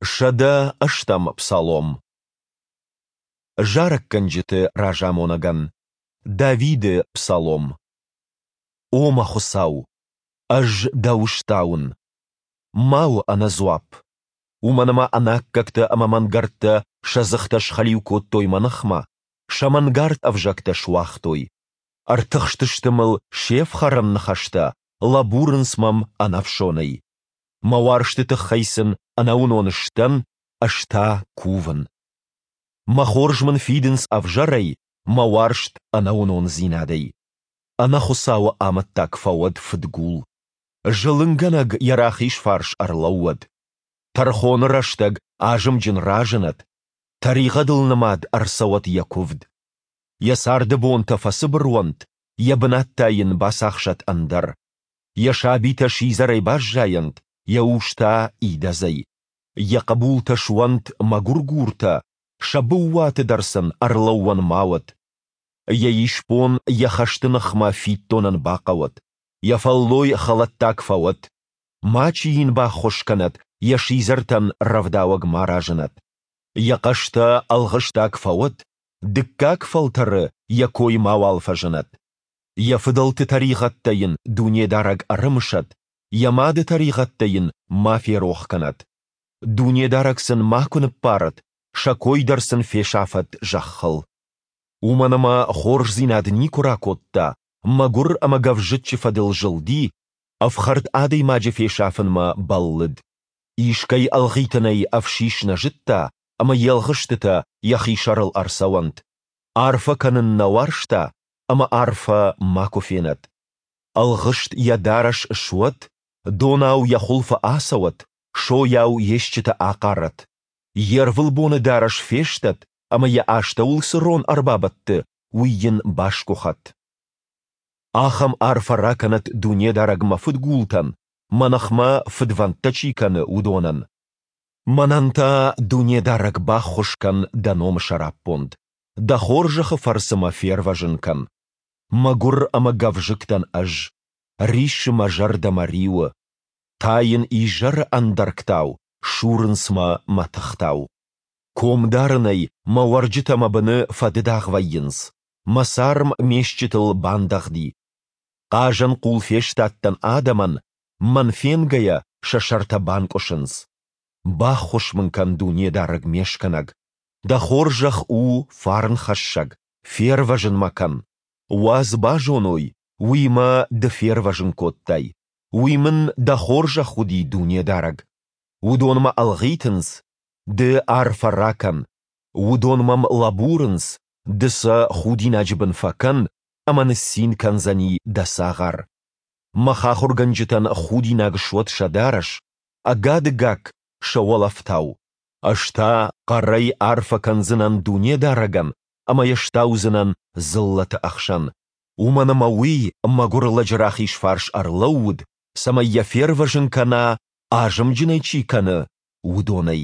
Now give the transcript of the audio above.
108-ӕм псалом. Зарӕггӕнджыты разамонӕгӕн. Давиды псалом. О мӕ Хуыцау, ӕз Дӕу стауын. Ма у ӕнӕдзуапп. Уымӕн ӕмӕ ӕнаккӕгтӕ ӕмӕ мӕнгӕрдтӕ сӕ дзыхтӕ схӕлиу кодтой мӕ ныхмӕ, сӕ мӕнгард ӕвзӕгтӕ суагътой. Ӕртыхстысты мыл се фхӕрӕн ныхӕстӕ, лӕбурынц мӕм ӕнӕфсонӕй. Мӕ уарзты тыххӕй сын ӕнӕуынон сдӕн, ӕз та кувын. Мӕ хорз мын фидынц ӕвзӕрӕй, мӕ уарзт ӕнӕуынондзинадӕй. Ӕнӕхуыцауы амӕттаг фӕуӕд фыдгул. Зылынгӕнӕг йӕ рахиз фарс ӕрлӕууӕд. Тӕрхоны рӕстӕг азымджын разынӕд, тӕригъӕдыл нымад ӕрцӕуӕд йӕ куывд. Йӕ царды бонтӕ фӕцыбыр уӕнт, йӕ бынат та йын бацахсӕд ӕндӕр. Йӕ сабитӕ сидзӕрӕй баззайӕнт, йӕ ус та идӕдзӕй. Йӕ хъӕбултӕ суӕнт мӕгуыргуртӕ, сӕ быууаты дӕр сын ӕрлӕууӕн ма уӕд. Йӕ исбон йӕ хӕсты ныхмӕ фиддонӕн бахъӕуӕд, йӕ фӕллой хӕлӕттаг фӕуӕд. Мачи йын баххуыс кӕнӕд, йӕ сидзӕртӕн рӕвдауӕг ма разынӕд. Йӕ хъӕстӕ ӕлгъыстаг фӕуӕд, дыккаг фӕлтӕры йӕ кой мауал фӕзынӕд. Йӕ фыдӕлты тӕригъӕдтӕ йын Дунедарӕг ӕрымысӕд, йӕ мады тӕригъӕдтӕ йын ма ферох кӕнӕд. Дунедарӕг сын макуы ныббарӕд, сӕ кой дӕр сын фесафӕд зӕххыл. Уымӕн ӕмӕ хорздзинад никуы ракодта, мӕгуыр ӕмӕ гӕвзыччы фӕдыл зылди, ӕфхӕрд адӕймаджы фесафынмӕ бӕллыд. Искӕй ӕлгъитынӕй ӕфсис нӕ зыдта, ӕмӕ йе лгъыстытӕ йӕхи сӕрыл ӕрцӕуӕнт. Арфӕ кӕнын нӕ уарзта, ӕмӕ арфӕ макуы фенӕд. Ӕлгъыст йӕ дарӕс суӕд, донау йӕ хуылфы ацӕуӕд, сойау йе стджытӕ ахъарӕд. Йе рвылбоны дарӕс фестӕд ӕмӕ йӕ астӕуыл цы рон ӕрбабӕтты, уый йын басгуыхӕд. Ахӕм арфӕ ракӕнӕд Дунедарӕг мӕ фыдгултӕн, мӕ ныхмӕ фыдвӕндтӕ чи кӕны, уыдонӕн. Мӕнӕн та, Дунедарӕг, баххуыс кӕн дӕ номы сӕраппонд. Дӕ хорзӕхы фӕрцы мӕ фервӕзын кӕн. Мӕгуыр ӕмӕ гӕвзыкк дӕн ӕз, риссы мӕ зӕрдӕ мӕ риуы. Тайын изӕры ӕндӕргтау, сурынц мӕ мӕтыхтау. Ком дарынӕй мӕ уӕрджытӕ мӕ быны фӕдыдагъ вӕййынц, мӕ царм ме стджытыл бандӕгъди. Хъазӕн хъул фестадтӕн адӕмӕн, мӕн фенгӕйӕ сӕ сӕртӕ банкъуысынц. Баххуыс мын кӕн, Дунедарӕг ме скӕнӕг, Дӕ хорзӕх у фарнхӕссӕг, фервӕзын мӕ кӕн. Уадз базоной, уый мӕ Ды фервӕзын кодтай. Уый мын Дӕ хорзӕх уыди, Дунедарӕг. Уыдон мӕ ӕлгъитынц, Ды арфӕ ракӕн. Уыдон мӕм лӕбурынц, Ды сӕ худинаджы бын фӕкӕн, ӕмӕ ныццин кӕндзӕни Дӕ цагъар. Мӕ хахуыргӕнджытӕн худинаг суӕд сӕ дарӕс, ӕгады гакк сӕ уӕлӕфтау. Ӕз та хъӕрӕй арфӕ кӕндзынӕн Дунедарӕгӕн ӕмӕ йӕ стаудзынӕн дзыллӕты ӕхсӕн, уымӕн ӕмӕ Уый мӕгуыр лӕджы рахиз фарс ӕрлӕууыд, цӕмӕй йӕ фервӕзын кӕна, азымджын ӕй чи кӕны, уыдонӕй.